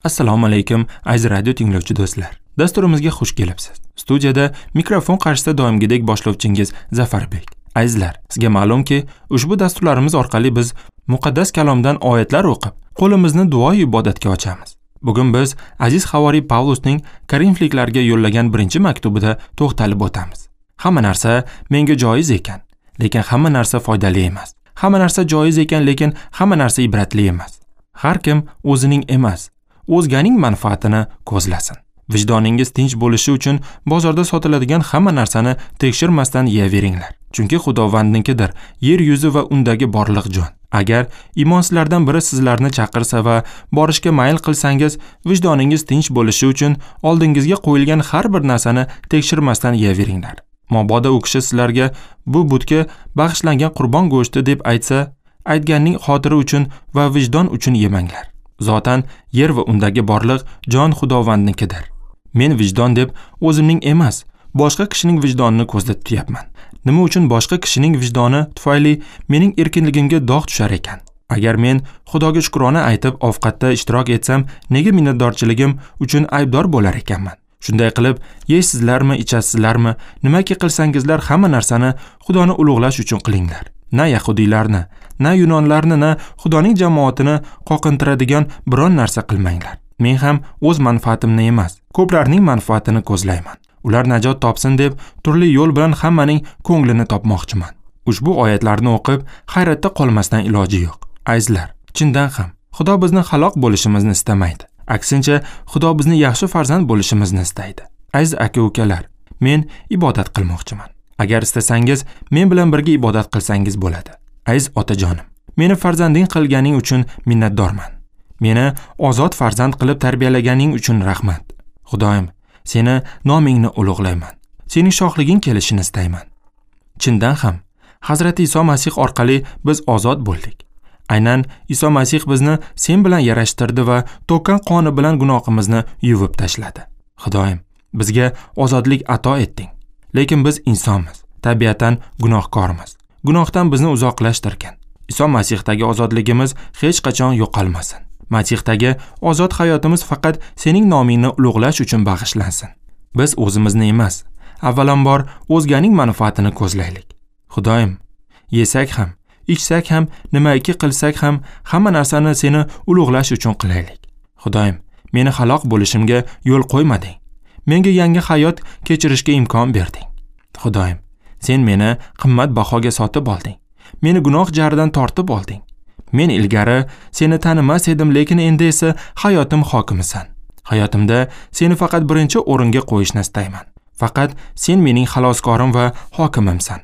Assalomu alaykum, aziz radio tinglovchi do'stlar. Dasturimizga xush kelibsiz. Studiyada mikrofon qarshisida doimgidek boshlovchingiz Zafarbek. Azizlar, sizga ma'lumki, ushbu dasturlarimiz orqali biz muqaddas kalomdan oyatlar o'qib, qo'limizni duo ibodatga ochamiz. Bugun biz aziz havoriy Pavlusning Korinfliklarga yo'llagan birinchi maktubida to'xtalib o'tamiz. Hamma narsa menga joiz ekan, lekin hamma narsa foydali emas. Hamma narsa joiz ekan, lekin hamma narsa ibratli emas. Har kim o'zining emas, o'zganing manfaatini ko'zlasin. Vijdoningiz tinch bo'lishi uchun bozorda sotiladigan hamma narsani tekshirmasdan yeyaveringlar. Chunki Xudovandnikidir yer yuzi va undagi borliq jon. Agar imonsizlardan biri sizlarni chaqirsa va borishga mayl qilsangiz, vijdoningiz tinch bo'lishi uchun oldingizga qo'yilgan har bir narsani tekshirmasdan yeyaveringlar. Mabodo u kishi sizlarga bu butga bag'ishlangan qurbon go'shti deb aytsa, aytganning xotiri uchun va vijdon uchun yemanglar. Zotan yer va undagi borliq jon Xudovandnikidir. Men vijdon deb o'zimning emas, boshqa kishining vijdonini ko'zda tutyapman. Nima uchun boshqa kishining vijdoni tufayli mening erkinligimga dog' tushar ekan? Agar men Xudoga shukrona aytib ovqatda ishtirok etsam, nega minnatdorchiligim uchun aybdor bo'lar ekanman? Shunday qilib, yeysizlarmi, ichasizlarmi, nimaki qilsangizlar hamma narsani Xudoni ulug'lash uchun qilinglar. Na yahudiylarni, na yunonlarni, na Xudoning jamoatini qoqintiradigan biron narsa qilmanglar. Men ham o'z manfaatimni emas, ko'plarning manfaatini ko'zlayman. Ular najot topsin deb turli yo'l bilan hammaning ko'nglini topmoqchiman. Ushbu oyatlarni o'qib hayratda qolmasdan iloji yo'q. Azizlar, chindan ham Xudo bizni halok bo'lishimizni istamaydi. Aksincha, Xudo bizni yaxshi farzand bo'lishimizni istaydi. Aziz aka-ukalar, men ibodat qilmoqchiman. Agar istasangiz, men bilan birga ibodat qilsangiz bo'ladi. Aziz otajonim, meni farzanding qilganing uchun minnatdorman. Meni ozod farzand qilib tarbiyalaganing uchun rahmat. Xudoyim, seni nomingni ulug'layman. Sening shohliging kelishini istayman. Chindan ham, Hazrati Iso Masih orqali biz ozod bo'ldik. Aynan Iso Masih bizni sen bilan yarashtirdi va to'kkan qoni bilan gunohimizni yuvib tashladi. Xudoyim, bizga ozodlik ato etding. Lekin biz insonmiz, tabiatan gunohkormiz. Gunohdan bizni uzoqlashtirgan. Iso Masihdagi ozodligimiz hech qachon yo'qolmasin. Masihdagi ozod hayotimiz faqat sening nomingni ulug'lash uchun bag'ishlansin. Biz o'zimizni emas, avvalambor o'zganing manfaatini ko'zlaylik. Xudoyim, yesak ham, ichsak ham, nimaiki qilsak ham, hamma narsani seni ulug'lash uchun qilaylik. Xudoyim, meni halok bo'lishimga yo'l qo'ymading. Menga yangi hayot kechirishga imkon berding. Xudoyim, sen meni qimmat bahoga sotib olding. Meni gunoh jaridan tortib olding. Men ilgari seni tanimas edim, lekin endi esa hayotim hokimisan. Hayotimda seni faqat birinchi o'ringa qo'yishni istayman. Faqat sen mening xaloskorim va hokimimsan.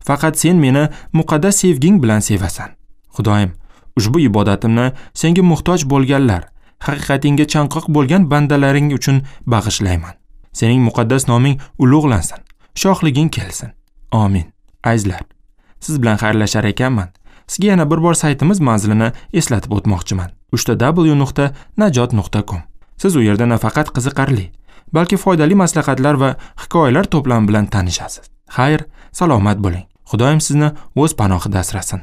Faqat sen meni muqaddas sevging bilan sevasan. Xudoyim, ushbu ibodatimni senga muhtoj bo'lganlar, haqiqatingga chanqoq bo'lgan bandalaring uchun bag'ishlayman. Sening muqaddas noming ulug'lansin, shohliging kelsin. Amin. Azizlar, siz bilan xayrlashar ekanman. Sizga yana bir bor saytimiz manzilini eslatib o'tmoqchiman. www.najot.com. Siz u yerda nafaqat qiziqarli, balki foydali maslahatlar va hikoyalar to'plami bilan tanishasiz. Xayr, salomat bo'ling. Xudoyim sizni o'z panohida asrasin.